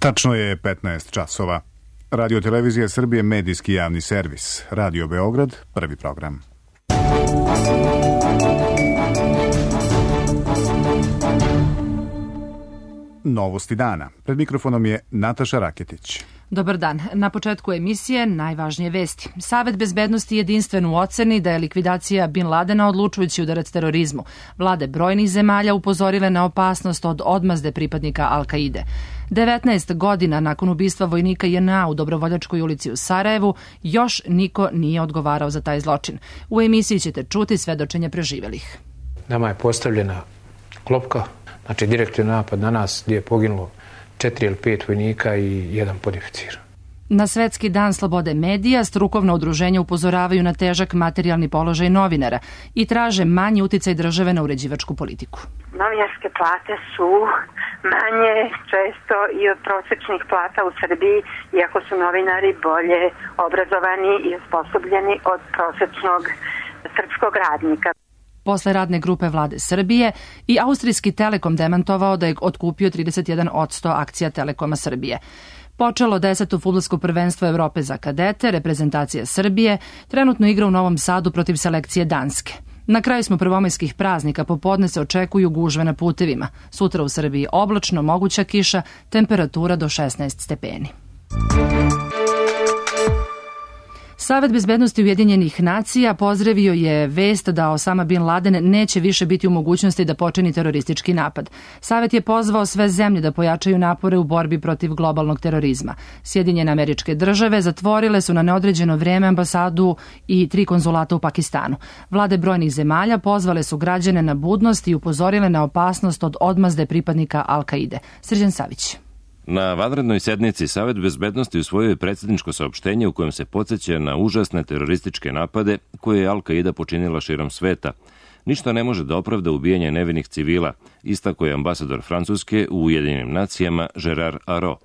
Tačno je 15 časova. Radio Televizija Srbije, medijski javni servis. Radio Beograd, prvi program. Novosti dana. Pred mikrofonom je Nataša Raketić. Dobar dan. Na početku emisije najvažnije vesti. Savet bezbednosti jedinstven u oceni da je likvidacija Bin Ladena odlučujući udarac terorizmu. Vlade brojnih zemalja upozorile na opasnost od odmazde pripadnika Al-Kaide. 19 godina nakon ubistva vojnika JNA u Dobrovoljačkoj ulici u Sarajevu, još niko nije odgovarao za taj zločin. U emisiji ćete čuti svedočenje preživelih. Nama je postavljena klopka, znači direktni napad na nas gdje je poginulo 4 ili 5 vojnika i 1 podoficir. Na Svetski dan slobode medija strukovna udruženja upozoravaju na težak materijalni položaj novinara i traže manji uticaj države na uređivačku politiku. Novinarske plate su manje često i od prosječnih plata u Srbiji, iako su novinari bolje obrazovani i osposobljeni od prosječnog srpskog radnika. Posle radne grupe vlade Srbije i austrijski Telekom demantovao da je otkupio 31% akcija Telekoma Srbije. Počelo 10. fudbalsko prvenstvo Evrope za kadete, reprezentacija Srbije, trenutno igra u Novom Sadu protiv selekcije Danske. Na kraju smo prvomajskih praznika, popodne se očekuju gužve na putevima. Sutra u Srbiji oblačno, moguća kiša, temperatura do 16 stepeni. Savet bezbednosti Ujedinjenih nacija pozdravio je vest da Osama Bin Laden neće više biti u mogućnosti da počini teroristički napad. Savet je pozvao sve zemlje da pojačaju napore u borbi protiv globalnog terorizma. Sjedinjene Američke Države zatvorile su na neodređeno vrijeme ambasadu i 3 konzulata u Pakistanu. Vlade brojnih zemalja pozvale su građane na budnost i upozorile na opasnost od odmazde pripadnika Al-Kaide. Srđan Savić. Na vanrednoj sednici Savet bezbednosti usvojio je predsjedničko saopštenje u kojem se podsjeća na užasne terorističke napade koje je Al-Kaida počinila širom sveta. Ništa ne može da opravda ubijanje nevinih civila, istako je ambasador Francuske u Ujedinjenim nacijama Gerard Arro.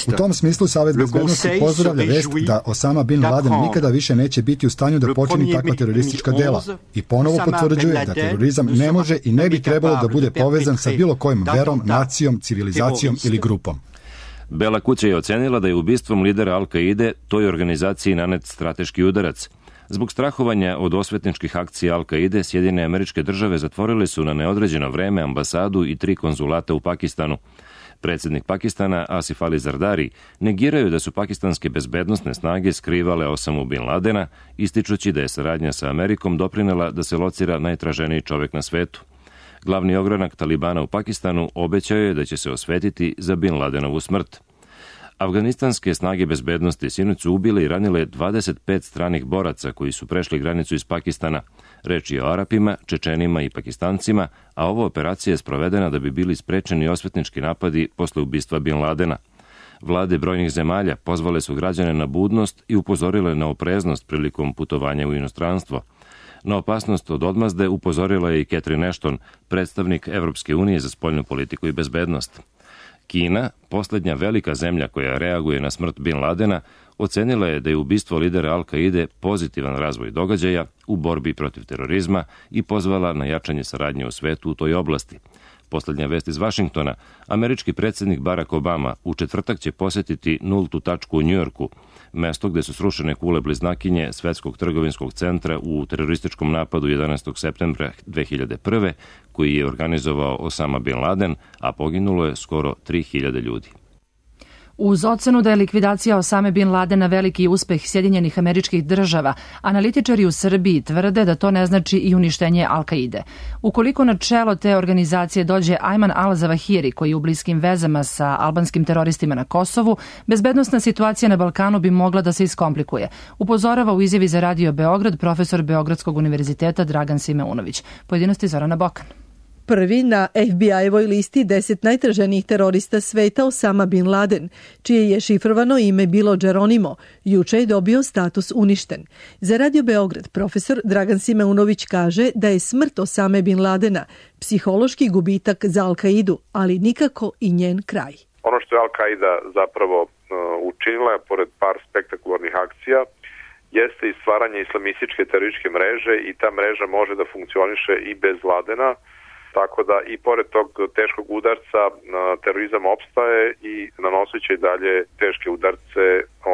U tom smislu Savet bezbednosti pozdravlja vest da Osama Bin Laden nikada više neće biti u stanju da počini takva teroristička dela i ponovo potvrđuje da terorizam ne može i ne bi trebalo da bude povezan sa bilo kojom verom, nacijom, civilizacijom ili grupom. Bela kuća je ocenila da je ubistvom lidera Al-Kaide toj organizaciji nanet strateški udarac. Zbog strahovanja od osvetničkih akcija Al-Kaide, Sjedinjene Američke Države zatvorile su na neodređeno vreme ambasadu i 3 konzulata u Pakistanu. Predsjednik Pakistana Asif Ali Zardari negiraju da su pakistanske bezbednosne snage skrivale Osamu Bin Ladena, ističući da je saradnja sa Amerikom doprinela da se locira najtraženiji čovjek na svetu. Glavni ogranak Talibana u Pakistanu obećao je da će se osvetiti za Bin Ladenovu smrt. Afganistanske snage bezbednosti sinoć su ubile i ranile 25 stranih boraca koji su prešli granicu iz Pakistana. Reč je o Arapima, Čečenima i Pakistancima, a ova operacija je sprovedena da bi bili sprečeni osvetnički napadi posle ubistva Bin Ladena. Vlade brojnih zemalja pozvale su građane na budnost i upozorile na opreznost prilikom putovanja u inostranstvo. Na opasnost od odmazde upozorila je i Catherine Ashton, predstavnik Evropske unije za spoljnu politiku i bezbednost. Kina, posljednja velika zemlja koja reaguje na smrt Bin Ladena, ocenila je da je ubistvo lidera Al-Kaide pozitivan razvoj događaja u borbi protiv terorizma i pozvala na jačanje saradnje u svetu u toj oblasti. Posljednja vest iz Vašingtona, američki predsjednik Barack Obama u četvrtak će posjetiti nultu tačku u Njujorku, mesto gde su srušene kule bliznakinje Svetskog trgovinskog centra u terorističkom napadu 11. septembra 2001. koji je organizovao Osama Bin Laden, a poginulo je skoro 3000 ljudi. Uz ocenu da je likvidacija Osame Bin Ladena veliki uspeh Sjedinjenih Američkih Država, analitičari u Srbiji tvrde da to ne znači i uništenje Al-Kaide. Ukoliko na čelo te organizacije dođe Ajman al-Zawahiri, koji je u bliskim vezama sa albanskim teroristima na Kosovu, bezbednosna situacija na Balkanu bi mogla da se iskomplikuje. Upozorava u izjavi za Radio Beograd profesor Beogradskog univerziteta Dragan Simeunović. Pojedinosti Zorana Bokan. Prvi na FBI-evoj listi 10 najtraženijih terorista sveta Osama Bin Laden, čije je šifrovano ime bilo Geronimo, juče je dobio status uništen. Za Radio Beograd profesor Dragan Simeunović kaže da je smrt Osame Bin Ladena psihološki gubitak za Al-Kaidu, ali nikako i njen kraj. Ono što je Al-Kaida zapravo učinila, pored par spektakularnih akcija, jeste i stvaranje islamističke terorističke mreže i ta mreža može da funkcioniše i bez Ladena. Tako da i pored tog teškog udarca terorizam opstaje i nanoseći i dalje teške udarce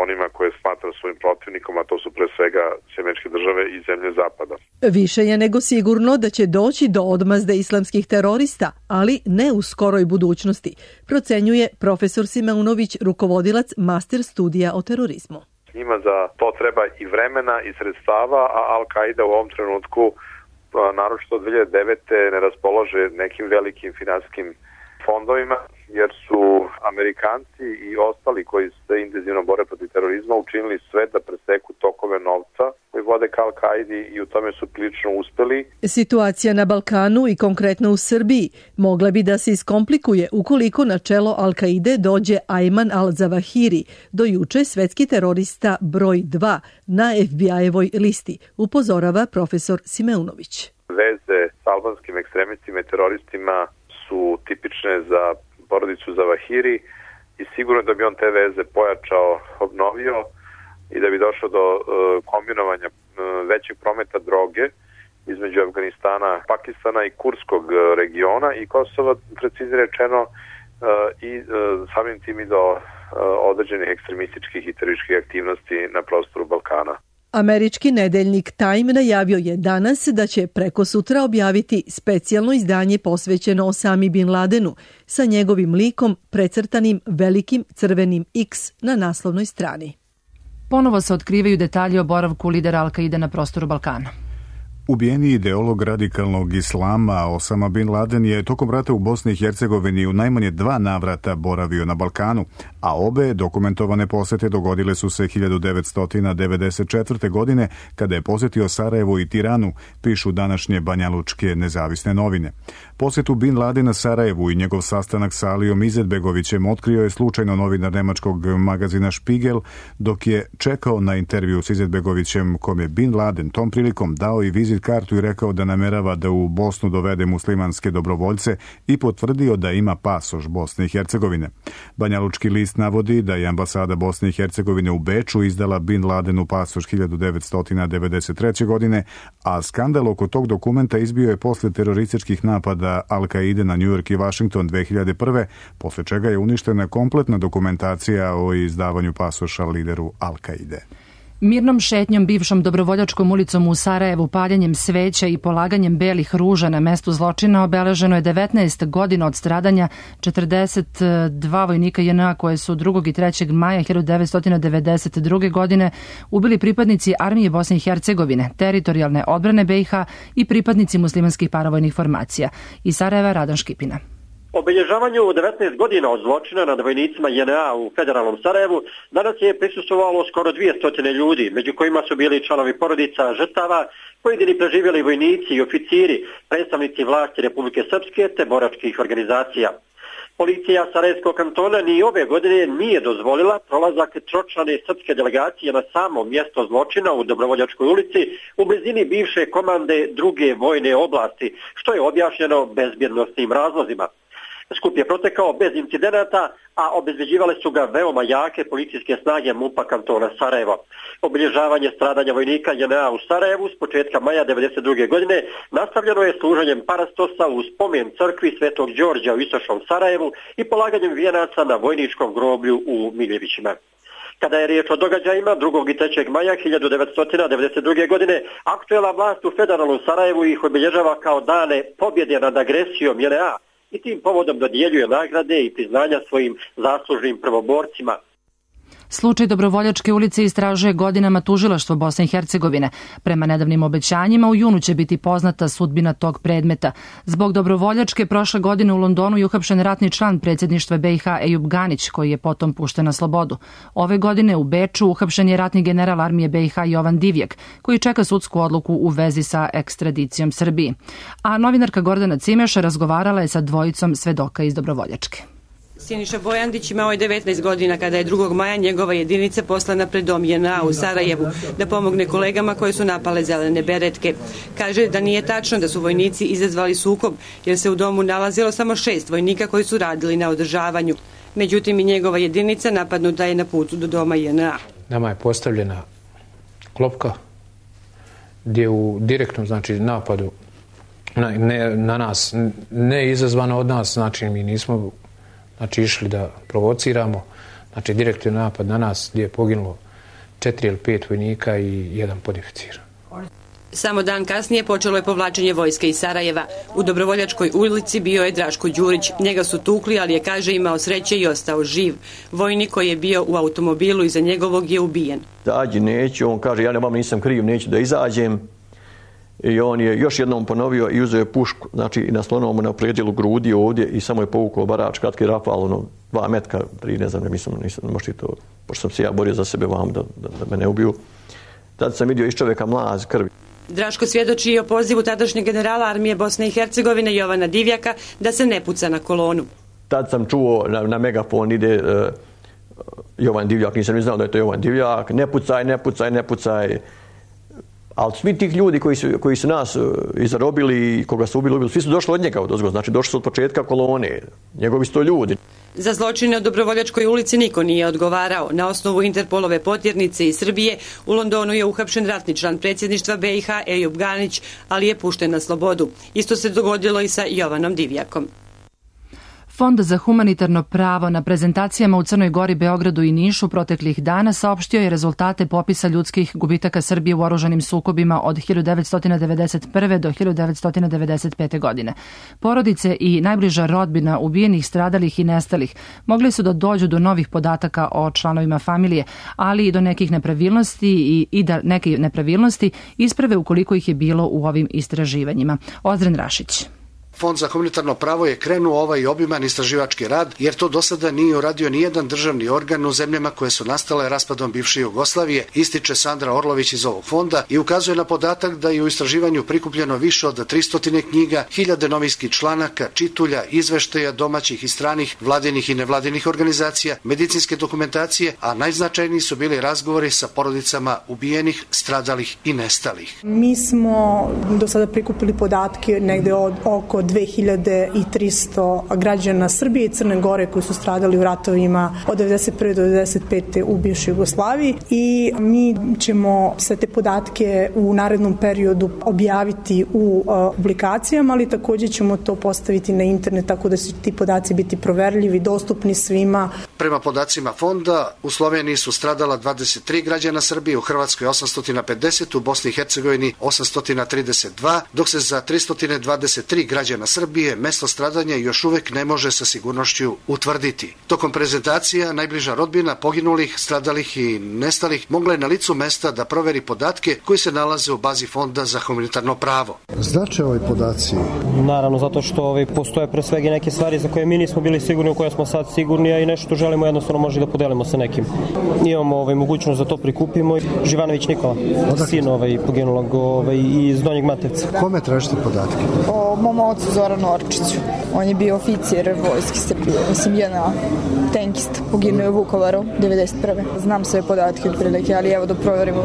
onima koje smatra svojim protivnikom, a to su pre svega Američke države i zemlje Zapada. Više je nego sigurno da će doći do odmazde islamskih terorista, ali ne u skoroj budućnosti, procenjuje profesor Simeunović, rukovodilac master studija o terorizmu. Njima za to treba i vremena i sredstava, a Al-Qaida u ovom trenutku, naročito od 2009. ne raspolaže nekim velikim finansijskim fondovima, jer su Amerikanci i ostali koji se intenzivno bore protiv terorizma učinili sve da preseku tokove novca koji vode ka Al-Qaidi i u tome su prilično uspeli. Situacija na Balkanu i konkretno u Srbiji mogla bi da se iskomplikuje ukoliko na čelo Al-Qaide dođe Ajman al-Zawahiri, do juče svetski terorista broj 2 na FBI-evoj listi, upozorava profesor Simeunović. Veze s albanskim ekstremistima i teroristima su tipične za porodicu Zawahiri i sigurno da bi on te veze pojačao, obnovio i da bi došlo do kombinovanja većeg prometa droge između Afganistana, Pakistana i Kurskog regiona i Kosova, preciznije rečeno, i samim tim i do određenih ekstremističkih i terorističkih aktivnosti na prostoru Balkana. Američki nedeljnik Time najavio je danas da će preko sutra objaviti specijalno izdanje posvećeno Osami Bin Ladenu sa njegovim likom precrtanim velikim crvenim X na naslovnoj strani. Ponovo se otkrivaju detalji o boravku lidera Al-Qaide na prostoru Balkana. Ubijeni ideolog radikalnog islama Osama Bin Laden je tokom rata u Bosni i Hercegovini u najmanje 2 navrata boravio na Balkanu, a obe dokumentovane posete dogodile su se 1994. godine kada je posetio Sarajevo i Tiranu, pišu današnje banjalučke nezavisne novine. Posetu Bin Ladena Sarajevu i njegov sastanak sa Alijom Izetbegovićem otkrio je slučajno novinar nemačkog magazina Spiegel, dok je čekao na intervju s Izetbegovićem, kom je Bin Laden tom prilikom dao i vizit kartu i rekao da namerava da u Bosnu dovede muslimanske dobrovoljce i potvrdio da ima pasoš Bosne i Hercegovine. Banjalučki list navodi da je ambasada Bosne i Hercegovine u Beču izdala Bin Ladenu pasoš 1993. godine, a skandal oko tog dokumenta izbio je posle terorističkih napada Al-Qaide na New York i Washington 2001. posle čega je uništena kompletna dokumentacija o izdavanju pasoša lideru Al-Qaide. Mirnom šetnjom bivšom Dobrovoljačkom ulicom u Sarajevu, paljenjem sveća i polaganjem belih ruža na mestu zločina obeleženo je 19 godina od stradanja 42 vojnika JNA koje su 2. i 3. maja 1992. godine ubili pripadnici Armije Bosne i Hercegovine, teritorijalne odbrane BiH i pripadnici muslimanskih paravojnih formacija. Iz Sarajeva Radan Škipina. Obilježavanju 19 godina od zločina nad vojnicima JNA u federalnom Sarajevu danas je prisustvovalo skoro 200 ljudi, među kojima su bili članovi porodica žrtava, pojedini preživjeli vojnici i oficiri, predstavnici vlasti Republike Srpske te boračkih organizacija. Policija Sarajevskog kantona ni ove godine nije dozvolila prolazak tročlane srpske delegacije na samo mjesto zločina u Dobrovoljačkoj ulici u blizini bivše komande druge vojne oblasti, što je objašnjeno bezbjednosnim razlozima. Skup je protekao bez incidenata, a obezbeđivale su ga veoma jake policijske snage MUP-a kantona Sarajevo. Obilježavanje stradanja vojnika JNA u Sarajevu s početka maja 1992. godine nastavljeno je služenjem parastosa u spomen crkvi Svetog Đorđa u istočnom Sarajevu i polaganjem vijenaca na vojničkom groblju u Miljevićima. Kada je riječ o događajima 2. i 3. maja 1992. godine, aktuelna vlast u federalnom Sarajevu ih obilježava kao dane pobjede nad agresijom JNA i tim povodom dodjeljuje nagrade i priznanja svojim zaslužnim prvoborcima. Slučaj Dobrovoljačke ulice istražuje godinama tužilaštvo Bosne i Hercegovine. Prema nedavnim obećanjima u junu će biti poznata sudbina tog predmeta. Zbog Dobrovoljačke prošle godine u Londonu je uhapšen ratni član predsjedništva BiH Ejub Ganić, koji je potom pušten na slobodu. Ove godine u Beču uhapšen je ratni general armije BiH Jovan Divjak, koji čeka sudsku odluku u vezi sa ekstradicijom Srbiji. A novinarka Gordana Cimeša razgovarala je sa dvojicom svedoka iz Dobrovoljačke. Siniša Bojandić imao je 19 godina kada je 2. maja njegova jedinica poslana pred dom JNA u Sarajevu da pomogne kolegama koje su napale zelene beretke. Kaže da nije tačno da su vojnici izazvali sukob jer se u domu nalazilo samo 6 vojnika koji su radili na održavanju. Međutim i njegova jedinica napadnuta je na putu do doma JNA. Nama je postavljena klopka gdje u direktnom napadu na nas, ne izazvano od nas, znači mi nismo znači išli da provociramo, znači direktni napad na nas gdje je poginulo 4 ili 5 vojnika i 1 podoficir. Samo dan kasnije počelo je povlačenje vojske iz Sarajeva. U Dobrovoljačkoj ulici bio je Draško Đurić. Njega su tukli, ali je, kaže, imao sreće i ostao živ. Vojnik koji je bio u automobilu iza njegovog je ubijen. Izađi, neću, on kaže, ja nisam kriv, neću da izađem. I on je još jednom ponovio i uzeo je pušku, znači naslonuo mu na predjelu grudi ovdje i samo je povukao barač, kratki rafal, 2 metka, 3, ne znam, nisam možda to, pošto sam se ja borio za sebe vam da me ne ubiju. Tad sam vidio iz čovjeka mlaz krvi. Draško svjedoči o pozivu tadašnjeg generala armije Bosne i Hercegovine Jovana Divjaka da se ne puca na kolonu. Tad sam čuo na megafon ide Jovan Divjak, nisam ni znao da je to Jovan Divjak, ne pucaj, ne pucaj, ne pucaj. Ali svi tih ljudi koji su nas izarobili i koga su ubili, svi su došli od njega odozgo, znači došli su od početka kolone, njegovi su to ljudi. Za zločine u Dobrovoljačkoj ulici niko nije odgovarao. Na osnovu Interpolove potjernice iz Srbije u Londonu je uhapšen ratni član predsjedništva BiH Ejub Ganić, ali je pušten na slobodu. Isto se dogodilo i sa Jovanom Divjakom. Fond za humanitarno pravo na prezentacijama u Crnoj Gori, Beogradu i Nišu proteklih dana saopštio je rezultate popisa ljudskih gubitaka Srbije u oružanim sukobima od 1991. do 1995. godine. Porodice i najbliža rodbina ubijenih, stradalih i nestalih mogli su da dođu do novih podataka o članovima familije, ali i do nekih nepravilnosti i da neke nepravilnosti isprave ukoliko ih je bilo u ovim istraživanjima. Ozren Rašić. Fond za humanitarno pravo je krenuo ovaj obiman istraživački rad, jer to do sada nije uradio nijedan državni organ u zemljama koje su nastale raspadom bivše Jugoslavije, ističe Sandra Orlović iz ovog fonda i ukazuje na podatak da je u istraživanju prikupljeno više od 300 knjiga, 1000 novinskih članaka, čitulja, izveštaja domaćih i stranih, vladinih i nevladinih organizacija, medicinske dokumentacije, a najznačajniji su bili razgovori sa porodicama ubijenih, stradalih i nestalih. Mi smo do sada prikupili podatke negde od oko 2300 građana Srbije i Crne Gore koji su stradali u ratovima od 1991. do 1995. u bivšoj Jugoslaviji i mi ćemo sve te podatke u narednom periodu objaviti u publikacijama, ali također ćemo to postaviti na internet tako da će ti podaci biti proverljivi, dostupni svima. Prema podacima fonda, u Sloveniji su stradala 23 građana Srbije, u Hrvatskoj 850, u Bosni i Hercegovini 832, dok se za 323 građana Srbije mesto stradanja još uvek ne može sa sigurnošću utvrditi. Tokom prezentacija najbliža rodbina poginulih, stradalih i nestalih mogla je na licu mesta da proveri podatke koji se nalaze u bazi Fonda za humanitarno pravo. Znače ovi podaci? Naravno, zato što postoje pre svega neke stvari za koje mi nismo bili sigurni, u koje smo sad sigurni, a i nešto želimo jednostavno možda da podelimo sa nekim. Imamo mogućnost da to prikupimo. Živanović Nikola, sin poginulog iz Donjeg Matevca. Kome tražite podatke? O mom ocu Zoranu Orčiću. On je bio oficir vojske Srbije, JNA, tenkist, poginuo u Vukovaru 1991. Znam sve podatke otprilike, ali evo da proverimo.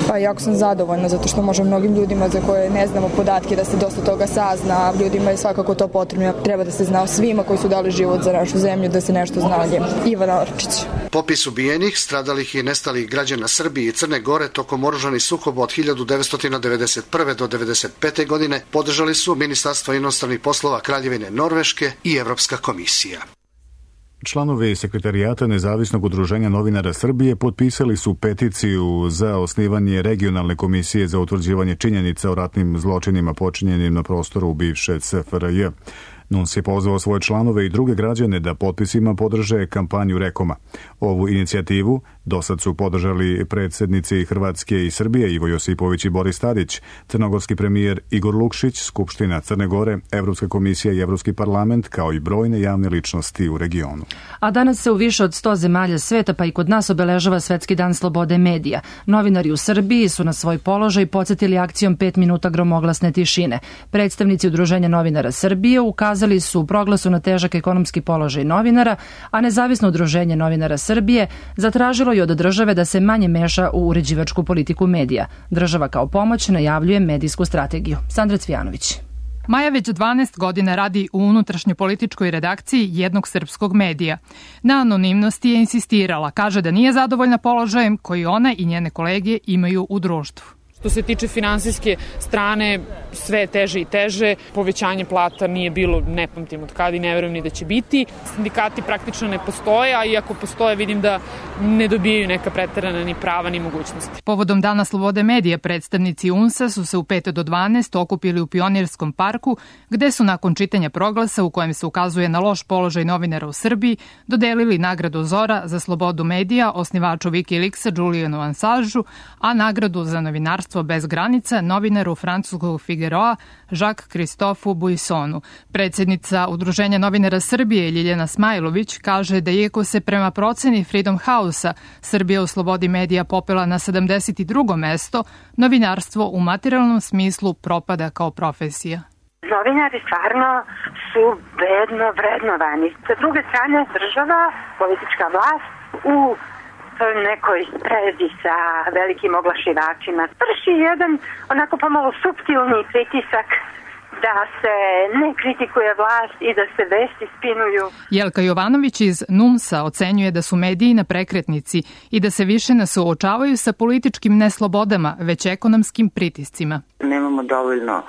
Pa jako sam zadovoljna zato što može mnogim ljudima za koje ne znamo podatke da se dosta toga sazna, ljudima je svakako to potrebno. Treba da se zna o svima koji su dali život za našu zemlju, da se nešto zna o njemu. Ivana Orčić. Popis ubijenih, stradalih i nestalih građana Srbije i Crne Gore tokom oružanih sukoba od 1991. do 1995. godine podržali su Ministarstvo inostranih poslova Kraljevine Norveške i Evropska komisija. Članovi Sekretarijata Nezavisnog udruženja novinara Srbije potpisali su peticiju za osnivanje regionalne komisije za utvrđivanje činjenica o ratnim zločinima počinjenim na prostoru bivše SFRJ. NUNS je pozvao svoje članove i druge građane da potpisima podrže kampanju Rekoma. Ovu inicijativu dosad su podržali predsjednici Hrvatske i Srbije Ivo Josipović i Boris Tadić, crnogorski premijer Igor Lukšić, Skupština Crne Gore, Evropska komisija i Evropski parlament, kao i brojne javne ličnosti u regionu. A danas se u više od 100 zemalja sveta, pa i kod nas, obeležava Svetski dan slobode medija. Novinari u Srbiji su na svoj položaj podsjetili akcijom 5 minuta gromoglasne tišine. Predstavnici Udruženja novinara Srbije ukazali su u proglasu na težak ekonomski položaj novinara, a Nezavisno udruženje novinara Srbije zatražilo i od države da se manje meša u uređivačku politiku medija. Država kao pomoć najavljuje medijsku strategiju. Sandra Cvijanović. Maja već 12 godina radi u unutrašnjopolitičkoj redakciji jednog srpskog medija. Na anonimnosti je insistirala, kaže da nije zadovoljna položajem koji ona i njene kolege imaju u društvu. Što se tiče finansijske strane, sve je teže i teže. Povećanje plata nije bilo, ne pamtim od kada i ne verujem ni da će biti. Sindikati praktično ne postoje, a iako postoje vidim da ne dobijaju neka preterana ni prava ni mogućnosti. Povodom Dana slobode medija predstavnici UNS-a su se u 5 do 12 okupili u Pionirskom parku, gde su nakon čitanja proglasa u kojem se ukazuje na loš položaj novinara u Srbiji dodelili nagradu Zora za slobodu medija osnivaču Wikileaksa Julianu Assangeu, a nagradu za novinarstvo bez granica novinaru francuskog Figaroa Jacques-Christophe Buissonu. Predsjednica Udruženja novinara Srbije Ljiljana Smajlović kaže da iako se prema proceni Freedom House-a Srbija u slobodi medija popela na 72. mesto, novinarstvo u materijalnom smislu propada kao profesija. Novinari stvarno su bedno vrednovani. Sa druge strane, država, politička vlast u nekoj sprezi sa velikim oglašivačima vrši jedan onako pomalo suptilni pritisak da se ne kritikuje vlast i da se vesti spinuju. Jelka Jovanović iz NUMS-a ocenjuje da su mediji na prekretnici i da se više ne suočavaju sa političkim neslobodama, već ekonomskim pritiscima. Nemamo dovoljno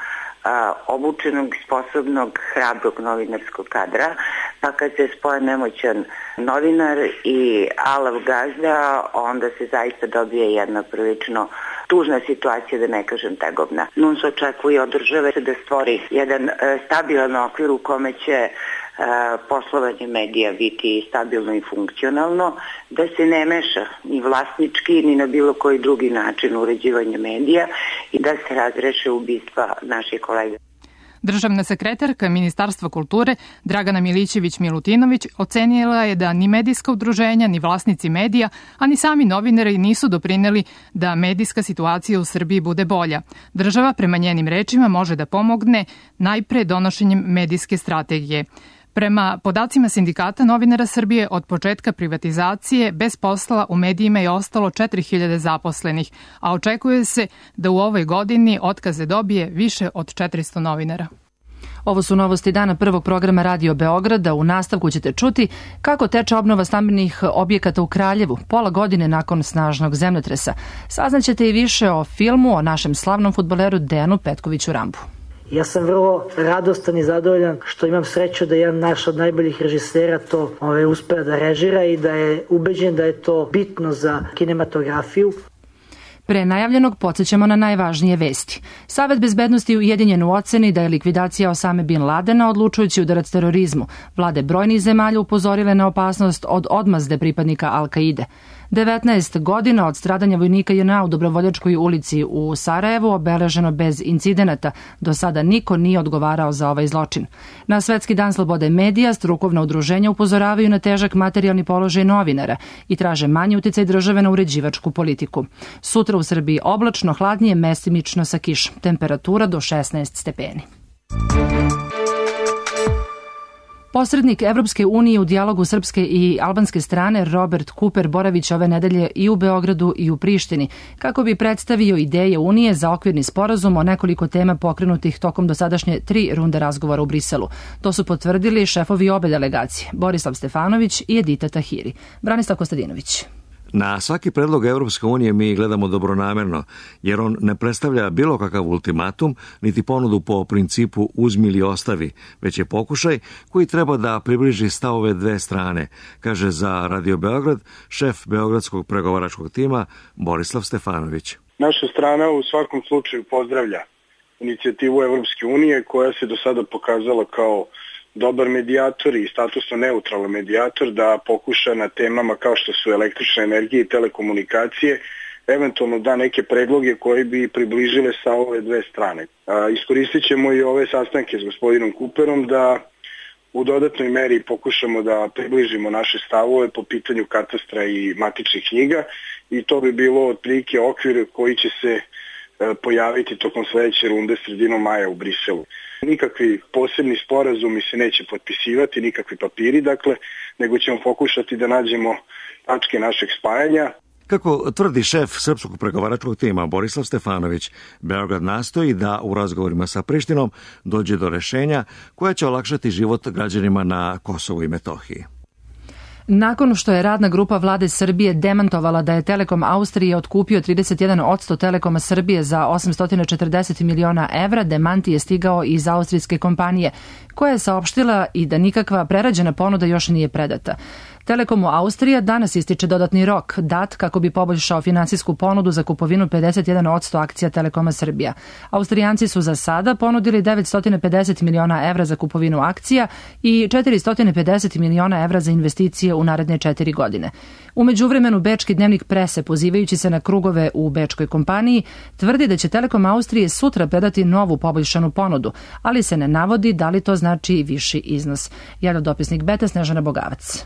obučenog, sposobnog, hrabrog novinarskog kadra, pa kad se spoje nemoćan novinar i alav gazda, onda se zaista dobije jedna prilično tužna situacija, da ne kažem tegobna. NUNS očekuje od države da stvori jedan stabilan okvir u kome će poslovanje medija biti stabilno i funkcionalno, da se ne meša ni vlasnički ni na bilo koji drugi način uređivanja medija i da se razreše ubistva naših kolega. Državna sekretarka Ministarstva kulture Dragana Milićević-Milutinović ocenila je da ni medijska udruženja, ni vlasnici medija, a ni sami novinari nisu doprineli da medijska situacija u Srbiji bude bolja. Država, prema njenim rečima, može da pomogne najpre donošenjem medijske strategije. Prema podacima Sindikata novinara Srbije, od početka privatizacije bez posla u medijima je ostalo 4000 zaposlenih, a očekuje se da u ovoj godini otkaze dobije više od 400 novinara. Ovo su novosti dana prvog programa Radio Beograda. U nastavku ćete čuti kako teče obnova stambenih objekata u Kraljevu, pola godine nakon snažnog zemljotresa. Saznaćete i više o filmu o našem slavnom fudbaleru Dejanu Petkoviću Rambu. Ja sam vrlo radostan i zadovoljan što imam sreću da jedan naš od najboljih režisera to uspeo da režira i da je ubeđen da je to bitno za kinematografiju. Pre najavljenog podsjećamo na najvažnije vesti. Savet bezbednosti Ujedinjen u oceni da je likvidacija Osame Bin Ladena odlučujući udarac terorizmu. Vlade brojnih zemalja upozorile na opasnost od odmazde pripadnika Al-Kaide. 19 godina od stradanja vojnika JNA u Dobrovoljačkoj ulici u Sarajevu obeleženo bez incidenata. Do sada niko nije odgovarao za ovaj zločin. Na Svetski dan slobode medija strukovna udruženja upozoravaju na težak materijalni položaj novinara i traže manji uticaj države na uređivačku politiku. Sutra u Srbiji oblačno, hladnije, mestimično sa kišom. Temperatura do 16 stepeni. Posrednik Evropske unije u dijalogu srpske i albanske strane Robert Cooper boravić ove nedelje i u Beogradu i u Prištini kako bi predstavio ideje Unije za okvirni sporazum o nekoliko tema pokrenutih tokom dosadašnje 3 runde razgovora u Briselu. To su potvrdili šefovi obe delegacije, Borislav Stefanović i Edita Tahiri. Branislav Kostadinović. Na svaki predlog Evropske unije mi gledamo dobronamerno, jer on ne predstavlja bilo kakav ultimatum, niti ponudu po principu uzmi ili ostavi, već je pokušaj koji treba da približi stavove dve strane, kaže za Radio Beograd šef Beogradskog pregovaračkog tima Borislav Stefanović. Naša strana u svakom slučaju pozdravlja inicijativu Evropske unije koja se do sada pokazala kao dobar medijator i statusno neutralan medijator da pokuša na temama kao što su električna energija i telekomunikacije eventualno da neke predloge koji bi približile sa ove dve strane. Iskoristit ćemo i ove sastanke s gospodinom Cooperom da u dodatnoj meri pokušamo da približimo naše stavove po pitanju katastra i matičnih knjiga i to bi bilo otprilike okvir koji će se pojaviti tokom sledeće runde sredinom maja u Briselu. Nikakvi posebni sporazumi se neće potpisivati, nikakvi papiri, dakle, nego ćemo pokušati da nađemo tačke našeg spajanja. Kako tvrdi šef srpskog pregovaračkog tima Borislav Stefanović, Beograd nastoji da u razgovorima sa Prištinom dođe do rešenja koja će olakšati život građanima na Kosovu i Metohiji. Nakon što je radna grupa vlade Srbije demantovala da je Telekom Austrije otkupio 31% Telekoma Srbije za 840 miliona evra, demanti je stigao iz austrijske kompanije, koja je saopštila i da nikakva prerađena ponuda još nije predata. Telekomu Austrija danas ističe dodatni rok, dat kako bi poboljšao finansijsku ponudu za kupovinu 51% akcija Telekoma Srbija. Austrijanci su za sada ponudili 950 miliona evra za kupovinu akcija i 450 miliona evra za investicije u naredne 4 godine. U međuvremenu, bečki dnevnik Prese, pozivajući se na krugove u bečkoj kompaniji, tvrdi da će Telekom Austrije sutra predati novu poboljšanu ponudu, ali se ne navodi da li to znači i viši iznos. Javlja dopisnik Beta Snežana Bogavac.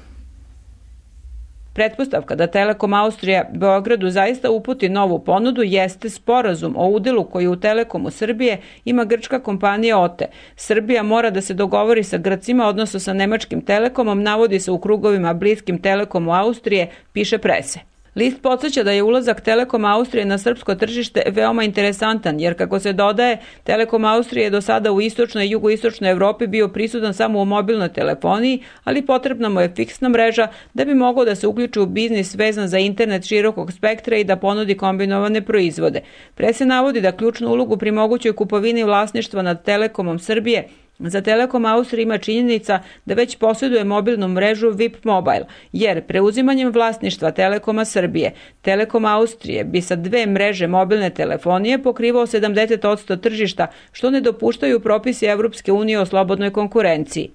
Pretpostavka da Telekom Austrija Beogradu zaista uputi novu ponudu jeste sporazum o udelu koji u Telekomu Srbije ima grčka kompanija OTE. Srbija mora da se dogovori sa Grcima, odnosno sa nemačkim Telekomom, navodi se u krugovima bliskim Telekomu Austrije, piše Prese. List podsjeća da je ulazak Telekom Austrije na srpsko tržište veoma interesantan, jer kako se dodaje, Telekom Austrije je do sada u istočnoj i jugoistočnoj Evropi bio prisutan samo u mobilnoj telefoniji, ali potrebna mu je fiksna mreža da bi mogao da se uključi u biznis vezan za internet širokog spektra i da ponudi kombinovane proizvode. Prese navodi da ključnu ulogu pri mogućoj kupovini vlasništva nad Telekomom Srbije za Telekom Austrije ima činjenica da već posjeduje mobilnu mrežu VIP Mobile, jer preuzimanjem vlasništva Telekoma Srbije, Telekom Austrije bi sa 2 mreže mobilne telefonije pokrivao 70% tržišta, što ne dopuštaju propisi Evropske unije o slobodnoj konkurenciji.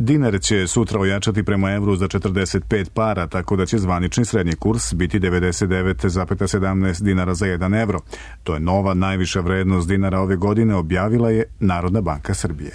Dinar će sutra ojačati prema evru za 45 para, tako da će zvanični srednji kurs biti 99,17 dinara za 1 evro. To je nova najviša vrednost dinara ove godine, objavila je Narodna banka Srbije.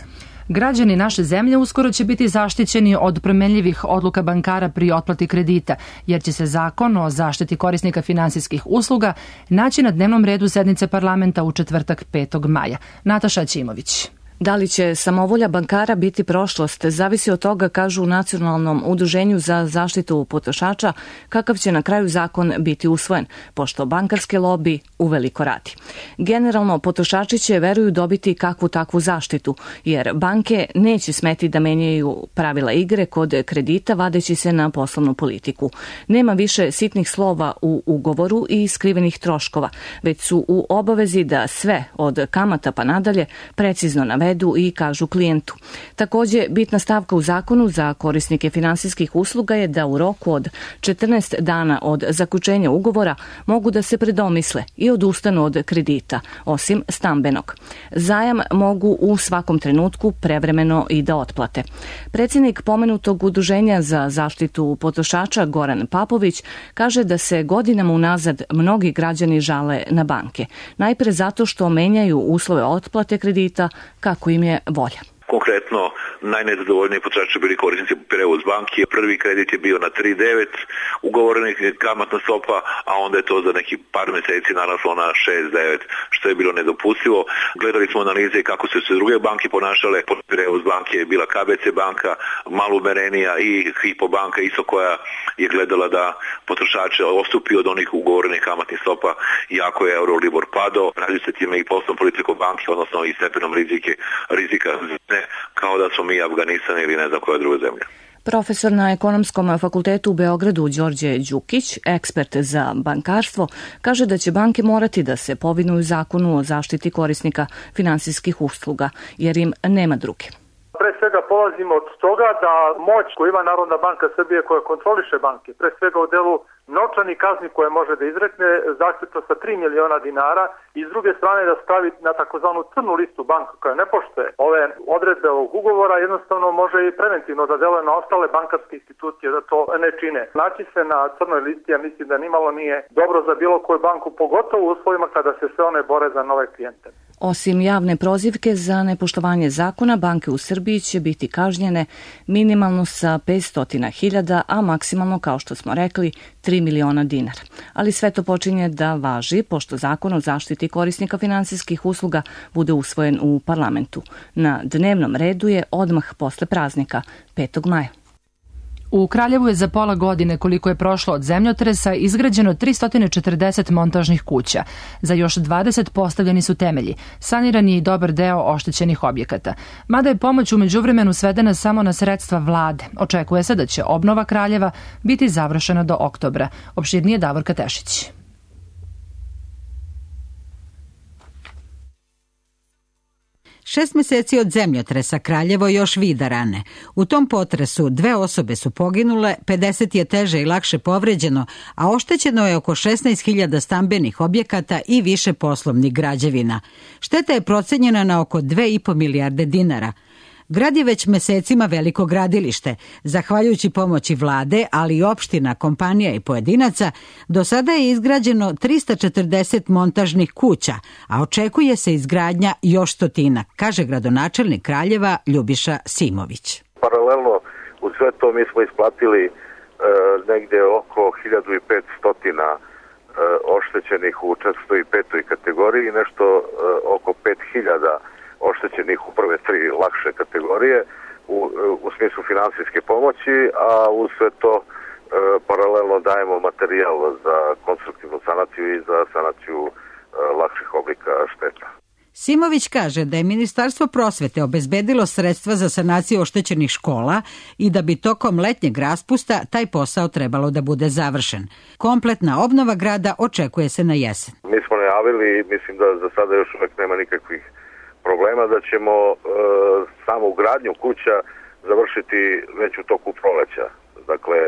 Građani naše zemlje uskoro će biti zaštićeni od promenljivih odluka bankara pri otplati kredita, jer će se zakon o zaštiti korisnika finansijskih usluga naći na dnevnom redu sednice parlamenta u četvrtak 5. maja. Nataša Ćimović. Da li će samovolja bankara biti prošlost, zavisi od toga, kažu u Nacionalnom udruženju za zaštitu potrošača, kakav će na kraju zakon biti usvojen, pošto bankarske lobi uveliko radi. Generalno, potrošači će, veruju, dobiti kakvu takvu zaštitu, jer banke neće smeti da menjaju pravila igre kod kredita, vadeći se na poslovnu politiku. Nema više sitnih slova u ugovoru i skrivenih troškova, već su u obavezi da sve, od kamata pa nadalje, precizno navedu i kažu klijentu. Takođe, bitna stavka u zakonu za korisnike finansijskih usluga je da u roku od 14 dana od zaključenja ugovora mogu da se predomisle i odustanu od kredita, osim stambenog. Zajam mogu u svakom trenutku prevremeno i da otplate. Predsjednik pomenutog udruženja za zaštitu potrošača Goran Papović kaže da se godinama unazad mnogi građani žale na banke. Najpre zato što menjaju uslove otplate kredita kako im je volja. Konkretno, najnezadovoljniji potrošači bili korisnici Prevoz banke. Prvi kredit je bio na 3,9 ugovorenih kamatna stopa, a onda je to za neki par meseci naraslo na 6,9, što je bilo nedopustivo. Gledali smo analize kako su se druge banke ponašale. Prevoz banke je bila KBC banka, malo umerenija, i Hypo banka isto, koja je gledala da potrošače odstupi od onih ugovorenih kamatnih stopa, iako je Euribor padao. Radi se time i poslovnom politikom banke, odnosno i stepenom rizika, kao da smo mi Afganistan ili ne znam koja druga zemlja. Profesor na Ekonomskom fakultetu u Beogradu Đorđe Đukić, ekspert za bankarstvo, kaže da će banke morati da se povinuju zakonu o zaštiti korisnika finansijskih usluga, jer im nema druge. Pre svega polazimo od toga da moć koju ima Narodna banka Srbije, koja kontroliše banke, pre svega u delu novčanih kazni koje može da izrekne, zaključno sa 3 miliona dinara, i s druge strane da stavi na takozvanu crnu listu banka koja ne poštuje ove odredbe ovog ugovora, jednostavno može i preventivno da deluje na ostale bankarske institucije da to ne čine. Naći se na crnoj listi, ja mislim da nimalo nije dobro za bilo koju banku, pogotovo u uslovima kada se sve one bore za nove klijente. Osim javne prozivke za nepoštovanje zakona, banke u Srbiji će biti kažnjene minimalno sa 500.000, a maksimalno, kao što smo rekli, 3 miliona dinara. Ali sve to počinje da važi, pošto zakon o zaštiti korisnika finansijskih usluga bude usvojen u parlamentu. Na dnevnom redu je odmah posle praznika, 5. maja. U Kraljevu je za pola godine, koliko je prošlo od zemljotresa, izgrađeno 340 montažnih kuća. Za još 20 postavljeni su temelji. Saniran je i dobar deo oštećenih objekata. Mada je pomoć u međuvremenu svedena samo na sredstva vlade. Očekuje se da će obnova Kraljeva biti završena do oktobra. Opširnije Davorka Tešić. Šest meseci od zemljotresa Kraljevo još vida rane. U tom potresu 2 osobe su poginule, 50 je teže i lakše povređeno, a oštećeno je oko 16.000 stambenih objekata i više poslovnih građevina. Šteta je procenjena na oko 2,5 milijarde dinara. Grad je već mesecima veliko gradilište. Zahvaljujući pomoći vlade, ali i opština, kompanija i pojedinaca, do sada je izgrađeno 340 montažnih kuća, a očekuje se izgradnja još 100, kaže gradonačelnik Kraljeva Ljubiša Simović. Paralelno u sve to mi smo isplatili negde oko 1500 oštećenih u 405. kategoriji, nešto oko 5000 oštećenih u prve 3 lakše kategorije u smislu finansijske pomoći, a uz sve to paralelno dajemo materijal za konstruktivnu sanaciju i za sanaciju lakših oblika šteta. Simović kaže da je Ministarstvo prosvete obezbedilo sredstva za sanaciju oštećenih škola i da bi tokom letnjeg raspusta taj posao trebalo da bude završen. Kompletna obnova grada očekuje se na jesen. Mi smo najavili, mislim da za sada još uvek nema nikakvih problema, da ćemo samu gradnju kuća završiti već u toku proleća. Dakle,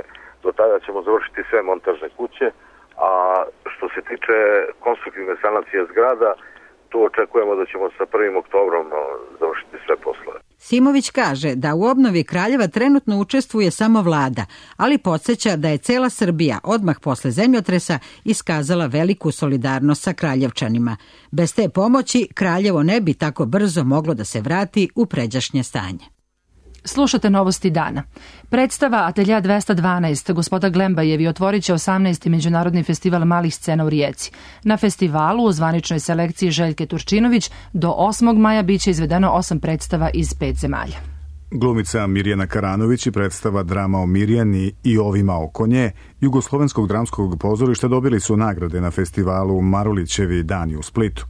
do tada ćemo završiti sve montažne kuće, a što se tiče konstruktivne sanacije zgrada, tu očekujemo da ćemo sa 1. oktobrom završiti sve poslove. Simović kaže da u obnovi Kraljeva trenutno učestvuje samo vlada, ali podsjeća da je cela Srbija odmah posle zemljotresa iskazala veliku solidarnost sa Kraljevčanima. Bez te pomoći Kraljevo ne bi tako brzo moglo da se vrati u pređašnje stanje. Slušate Novosti dana. Predstava Atelja 212 Gospoda Glembajevi otvorit će 18. Međunarodni festival malih scena u Rijeci. Na festivalu u zvaničnoj selekciji Željke Turčinović do 8. maja biće izvedeno 8 predstava iz 5 zemalja. Glumica Mirjana Karanović i predstava Drama o Mirjani i ovima oko nje Jugoslovenskog dramskog pozorišta dobili su nagrade na festivalu Marulićevi dani u Splitu.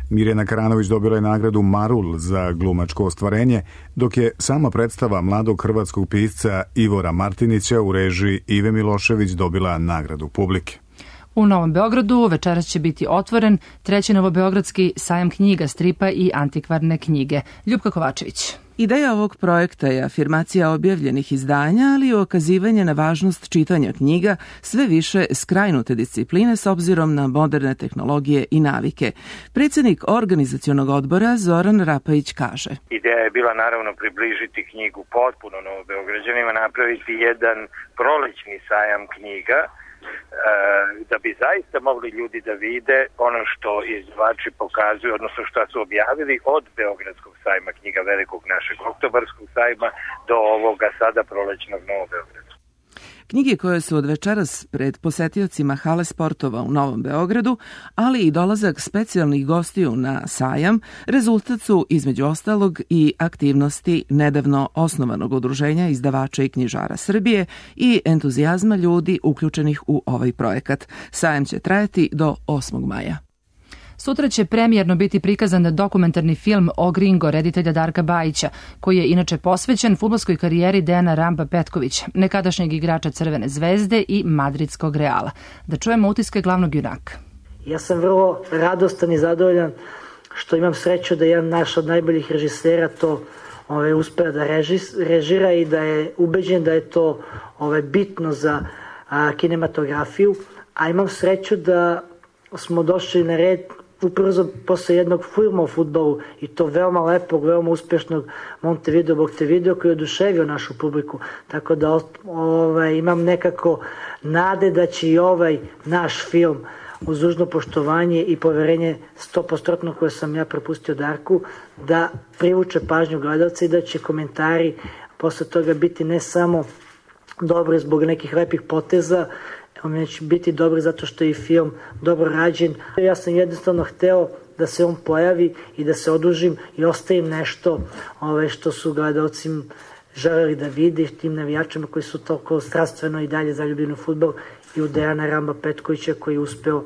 Mirjana Karanović dobila je nagradu Marul za glumačko ostvarenje, dok je sama predstava mladog hrvatskog pisca Ivora Martinića u režiji Ive Milošević dobila nagradu publike. U Novom Beogradu večeras će biti otvoren 3. novobeogradski sajam knjiga, stripa i antikvarne knjige. Ljupka Kovačević. Ideja ovog projekta je afirmacija objavljenih izdanja, ali i ukazivanje na važnost čitanja knjiga, sve više skrajnute discipline s obzirom na moderne tehnologije i navike. Predsjednik organizacionog odbora Zoran Rapajić kaže. Ideja je bila naravno približiti knjigu potpuno Novobeograđanima, napraviti jedan prolećni sajam knjiga, da bi zaista mogli ljudi da vide ono što izdavači pokazuju, odnosno što su objavili od Beogradskog sajma knjiga, velikog našeg oktobarskog sajma, do ovoga sada prolećnog Novobeogradskog. Knjige koje su od večeras pred posetiocima hale sportova u Novom Beogradu, ali i dolazak specijalnih gostiju na sajam, rezultat su između ostalog i aktivnosti nedavno osnovanog udruženja izdavača i knjižara Srbije i entuzijazma ljudi uključenih u ovaj projekat. Sajam će trajati do 8. maja. Sutra će premijerno biti prikazan dokumentarni film o Gringo reditelja Darka Bajića, koji je inače posvećen fudbalskoj karijeri Dejana Ramba Petkovića, nekadašnjeg igrača Crvene zvezde i Madridskog Reala. Da čujemo utiske glavnog junaka. Ja sam vrlo radostan i zadovoljan što imam sreću da jedan naš od najboljih režisera to uspeo da režira i da je ubeđen da je to bitno za kinematografiju, a imam sreću da smo došli na red upravo posle jednog filma o fudbalu i to veoma lepog, veoma uspešnog Montevideo koji je oduševio našu publiku. Tako da imam nekako nade da će i ovaj naš film uz dužno poštovanje i poverenje 100% koje sam ja prepustio Darku da privuče pažnju gledalca i da će komentari posle toga biti ne samo dobri zbog nekih lepih poteza, on će biti dobro zato što je i film dobro rađen. Ja sam jednostavno hteo da se on pojavi i da se odužim i ostavim nešto što su gledalci želeli da vidi, tim navijačima koji su toliko strastveno i dalje zaljubljeni u fudbal, i u Dejana Ramba Petkovića koji je uspeo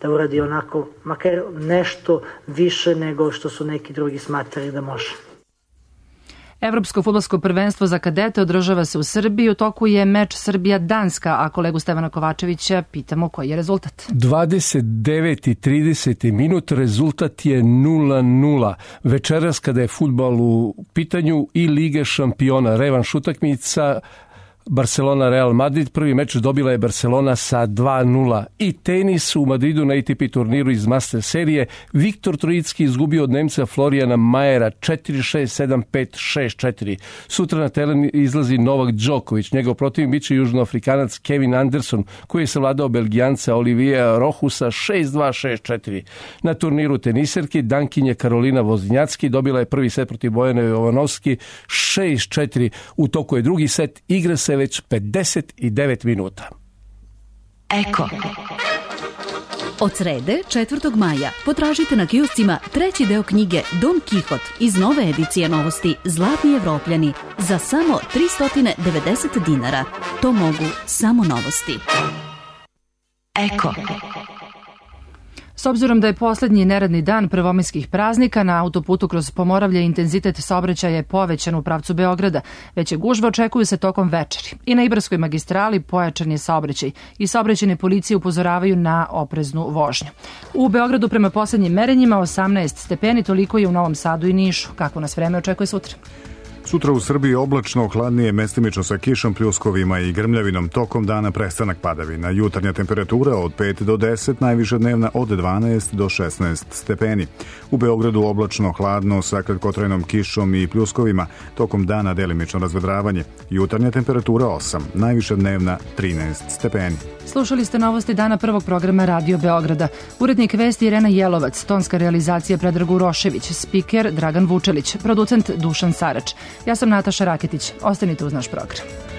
da uradi onako, makar nešto više nego što su neki drugi smatrali da može. Evropsko fudbalsko prvenstvo za kadete održava se u Srbiji. U toku je meč Srbija-Danska, a kolegu Stevana Kovačevića pitamo koji je rezultat. 29. i 30. minut, rezultat je 0-0. Večeras kada je fudbal u pitanju i Lige šampiona, revanš utakmica Barcelona Real Madrid, prvi meč dobila je Barcelona sa 2-0. I tenis u Madridu na ATP turniru iz Master serije, Viktor Trojicki izgubio od Nemca Florijana Majera 4-6, 7-5, 6-4. Sutra na teren izlazi Novak Đoković, njegov protivnik biće južnoafrikanac Kevin Anderson, koji je savladao Belgijanca Olivija Rohusa 6-2, 6-4. Na turniru teniserki Dankinje Karolina Vozinjacki dobila je prvi set protiv Bojane Jovanovski 6-4. U toku je drugi set, igra se već 59 minuta. Eko. Od srede, 4. maja, potražite na kioscima treći deo knjige Don Kihot iz nove edicije novosti Zlatni Evropljani za samo 390 dinara. To mogu samo novosti. Eko. S obzirom da je poslednji neradni dan prvomajskih praznika, na autoputu kroz Pomoravlje intenzitet saobraćaja je povećan u pravcu Beograda. Veće gužve očekuju se tokom večeri. I na Ibarskoj magistrali pojačan je saobraćaj i saobraćajne policije upozoravaju na opreznu vožnju. U Beogradu prema poslednjim merenjima 18 stepeni, toliko je u Novom Sadu i Nišu. Kako nas vreme očekuje sutra? Sutra u Srbiji oblačno, hladnije, mestimično sa kišom, pljuskovima i grmljavinom, tokom dana prestanak padavina. Jutarnja temperatura od 5 do 10, najviša dnevna od 12 do 16 stepeni. U Beogradu oblačno, hladno sa kratkotrajnom kišom i pljuskovima, tokom dana delimično razvedravanje. Jutarnja temperatura 8, najviša dnevna 13 stepeni. Slušali ste novosti dana prvog programa Radio Beograda. Urednik vesti Irena Jelovac, tonska realizacija Predrag Urošević, spiker Dragan Vučelić, producent Dušan Sarač. Ja sam Nataša Raketić. Ostanite uz naš program.